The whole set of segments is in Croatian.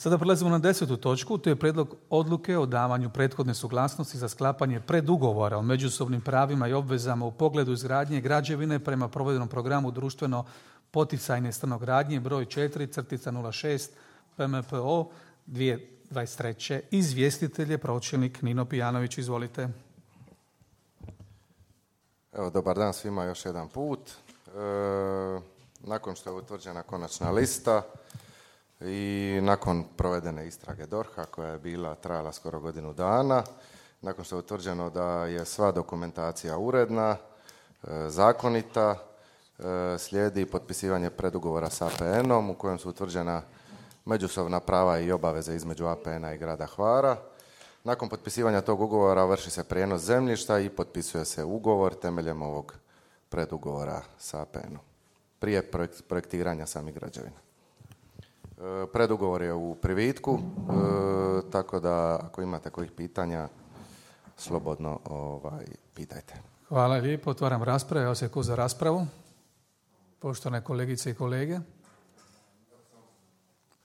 Sada prelazimo na 10. točku, to je prijedlog odluke o davanju prethodne suglasnosti za sklapanje predugovora o međusobnim pravima i obvezama u pogledu izgradnje građevine prema provedenom programu društveno poticajne stanogradnje broj 4/06 PMPO 2023. Izvjestitelj je pročelnik Nino Pijanović. Izvolite. Evo, dobar dan svima još jedan put. Nakon što je utvrđena konačna lista i nakon provedene istrage DORH-a koja je trajala skoro godinu dana, nakon što je utvrđeno da je sva dokumentacija uredna, zakonita, slijedi potpisivanje predugovora s APN-om u kojem su utvrđena međusobna prava i obaveze između APN-a i grada Hvara. Nakon potpisivanja tog ugovora vrši se prijenos zemljišta i potpisuje se ugovor temeljem ovog predugovora s APN-om prije projektiranja samih građevina. Predugovor je u privitku, tako da ako imate kojih pitanja, slobodno pitajte. Hvala lijepo. Otvaram raspravu. Evo se ko za raspravu. Poštovane kolegice i kolege.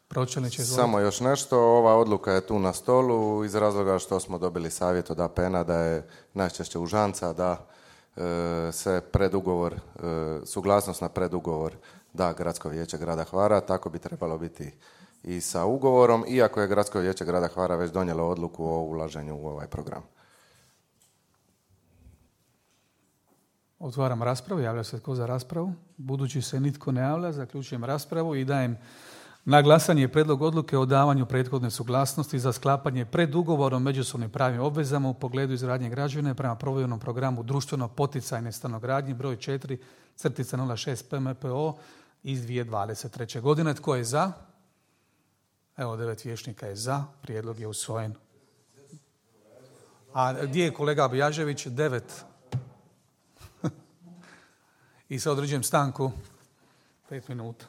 Pročelniče, izvolite. Samo još nešto. Ova odluka je tu na stolu iz razloga što smo dobili savjet od APN-a da je najčešće užanca da se predugovor, suglasnost na predugovor da Gradsko vijeće grada Hvara, tako bi trebalo biti i sa ugovorom, iako je Gradsko vijeće grada Hvara već donijelo odluku o ulaženju u ovaj program. Otvaram raspravu. Javlja se tko za raspravu? Budući se nitko ne javlja, zaključujem raspravu i dajem na glasanje prijedlog odluke o davanju prethodne suglasnosti za sklapanje predugovora o međusobnim pravim obvezama u pogledu izgradnje građevine prema provedenom programu društveno poticajne stanogradnje broj 4/06 PMPO iz 2023. godine. Tko je za? Evo, 9 vijećnika je za. Prijedlog je usvojen. A gdje je kolega Bjažević? 9. I sad određujem stanku 5 minuta.